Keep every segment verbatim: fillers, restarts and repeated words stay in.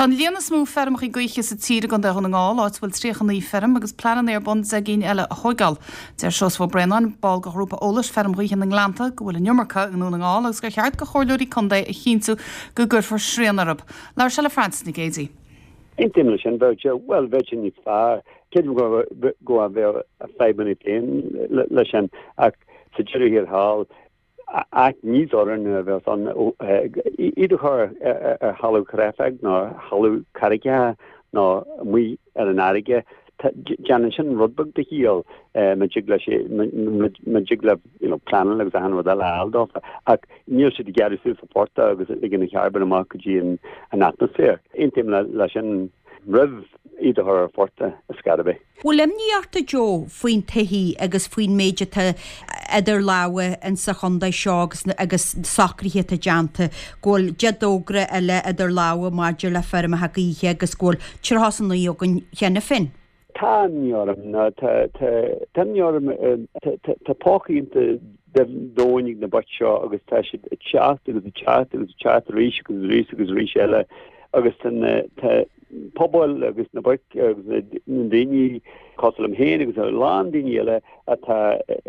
Tá an líon is mó feirmeacha gaoithe sa tír i gContae Dhún na nGall, áit a bhfuil tríocha naoi feirm agus pleananna ar bun deich gcinn eile a thógáil. Deir Seosamh Ó Braonáin, ball de ghrúpa eolais Feirm Ghaoithe na nGleannta, go bhfuil an iomarca i nDún na nGall agus gur cheart do chomhairleoirí contae a chinntiú go gcuirfear srian orthu. Labhair sé le Frances Nic Géadaigh. Aontaím leis sin, bheadh sé, bhuel, bheadh sé níos fearr. Creidim go go bheadh fadhbanna féin leis sin ach sa deireadh thiar thall áit níos oiriúnaí a bheas ann iad a chur ar thalamh creachach nó thalamh carraigeacha nó amuigh ar an fharraige. Déanann sin rud beag de chiall má dtig leis má dtig le you know pleanáil agus achan rud eile a fháil dófa ach níl siad ag gearradh suas an portach agus ag ligean an charbón amach go dtí an atmaisféar. Aontaím leis sin roimh iad a chur ar phortach ar scor ar bith. Bhfuil imní ort, a Joe, faoin taithí agus faoin méid atá idir lámha insa chontae seo agus agus socruithe atá déanta, go bhfuil deich dtogra eile idir lámha maidir le feirmeacha gaoithe agus go bhfuil tríocha is a naoi againn cheana féin? Tá imní orm, ná tá tá tá imní orm tá tá tá póca iontach domhain ag na boic seo agus tá siad ag teacht agus ag teacht agus ag teacht arís agus arís agus arís eile agus tá na tá pobail agus na boic agus na daoine cosúil liom féin agus a lán daoine eile atá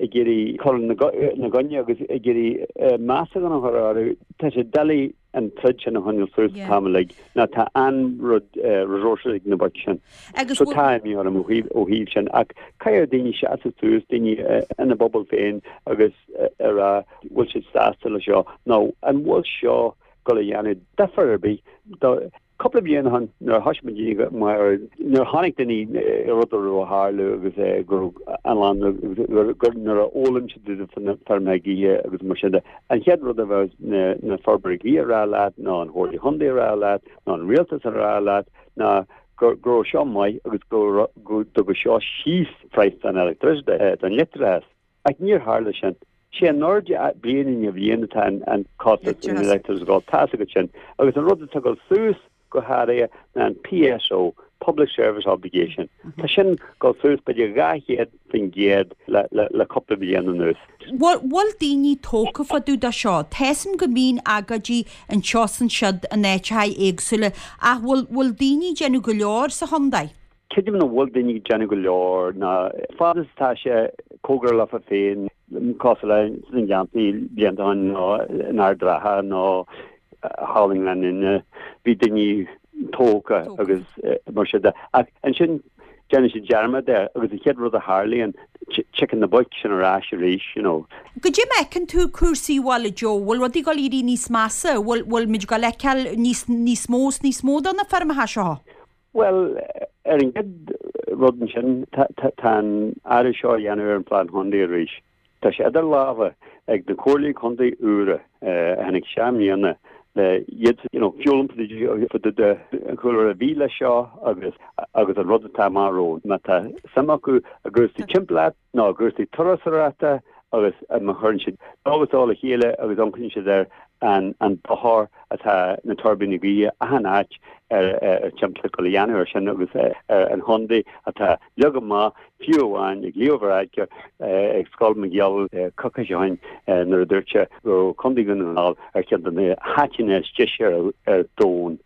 ag iarraidh cur ina gcoinne agus ag iarraidh meascán a chur orthu. Tá sé doiligh an troid sin a choinneáil suas an t-am uilig ná tá an-rud resources ag na boic sin. So tá imní orm ó thaobh sin ach caithfidh daoine seasamh suas, daoine ina bpobal féin agus a rá bhfuil siad sásta le seo nó an bhfuil seo ag dul a dhéanamh difear ar bith do Cúpla bliain ó shin nuair a thoisigh muid mar nuair a chonaic daoine rud a raibh ag tarlú agus go raibh an lán gur nuair a fhoghlaim siad faoi na feirmeacha gaoithe agus mar sin de, an chéad rud a bheadh na na feirmeoirí gaoithe a rá leat nó an Chomhairle Chontae a rá leat nó an rialtas a rá leat ná go go raibh seo maith agus go go dtugadh seo síos praghas an electricity don leictreachas. Ach níor tharla sin. Sé in airde bliain i ndiaidh bliain atá an costas an leictreachas ag dul, tá a fhios agat sin. Agus an rud atá ag dul suas go háirithe ná an PSO, Public Service Obligation. Tá sin ag dul suas b'fhéidir dhá chéad faoin gcéad le cúpla bliain anuas. Bhfuil daoine tógtha fá dtaobh de seo? Tá a fhios agam go mbíonn agóidí anseo is ansiúd in áiteacha éagsúla ach bhfuil daoine ag déanamh go leor sa chontae? Creidim nach bhfuil daoine ag déanamh go leor ná fad is atá sé cóngarach leofa féin, cosúil le sna Gleanntaí blianta ó shin nó in Ard Ratha nó thall i nGleann Fhinne, bhí daoine tógtha agus mar sin de. Ach ansin déanann siad dearmad air agus an chéad rud a tharlaíonn, tiocfaidh na boic sin ar ais arís, you know. Goidé mar a fheiceann tú cúrsaí abhaile, Joe? Bhfuil rudaí ag dul éirí níos measa? Bhfuil, bhfuil muid ag dul a fheiceáil níos, níos mó is níos mó de na feirmeacha seo? Bhuel, ar an gcéad rud ansin, tá an athrú seo a dhéanamh ar an Phlean Chontae arís. Tá sé idir lámha ag na comhairlí contae úra a tháinig isteach i mbliana le iad you know, foghlaim fá dtaobh de an chúlra a bhí leis seo agus agus an rud atá amach romhainn. Má tá suim acu i gcúrsaí timpeallachta nó i gcúrsaí turasóireachta agus má chuireann siad dó agus dó le chéile agus amharcann siad ar an an dochar atá na tuirbíní gaoithe achan áit ar ar timpeallacht ag dul a dhéanamh ar sin agus ar an chontae atá leagtha amach fiú amháin ag Leo Varadkar ag Scoil McGill coicís ó shin nuair a dúirt sé go raibh Contae Dhún na nGall ar cheann de na háiteanna is deise ar ar domhan.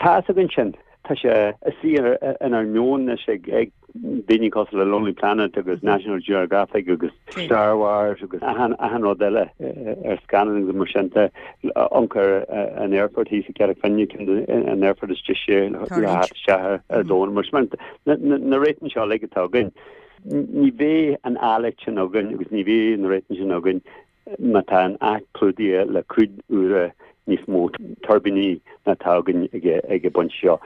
Tá a fhios againn sin. Tá sé istigh inár meon anois ag daoine cosúil le Lonely Planet agus National Geographic agus Star Wars agus achan rud eile ar scannán agus mar sin de. Amharc ar an aerfort thíos i gCarraig Finne, ceann de an aerfort is deise le theacht isteach ar domhan. Mar sin na réitigh seo uilig atá againn, ní bheidh an áilleacht sin againn agus ní bheidh na réitigh sin againn má tá an áit clúdaithe le cúig uaire níos mó tuirbíní ná atá againn ag an bpointe seo.